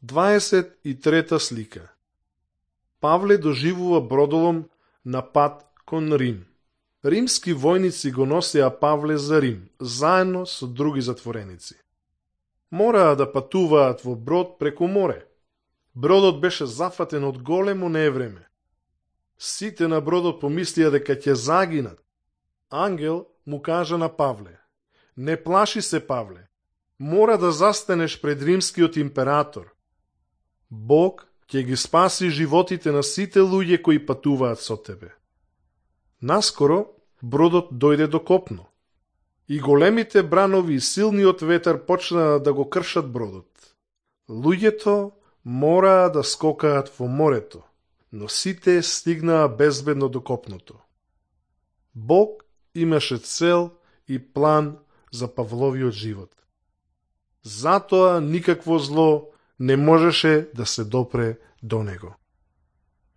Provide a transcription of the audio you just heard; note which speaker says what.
Speaker 1: 23 слика. Павле доживува бродолом на пат кон Рим. Римски војници го носеа Павле за Рим, заедно со други затвореници. Мораа да патуваат во брод преку море. Бродот беше зафатен од големо невреме. Сите на бродот помислија дека ќе загинат. Ангел му кажа на Павле: "Не плаши се, Павле. Мора да застанеш пред римскиот император. Бог ќе ги спаси животите на сите луѓе кои патуваат со тебе." Наскоро бродот дојде до копно. И големите бранови и силниот ветер почнаа да го кршат бродот. Луѓето мораа да скокаат во морето, но сите стигнаа безбедно до копното. Бог имаше цел и план за Павловиот живот. Затоа никакво зло не можеше да се допре до него.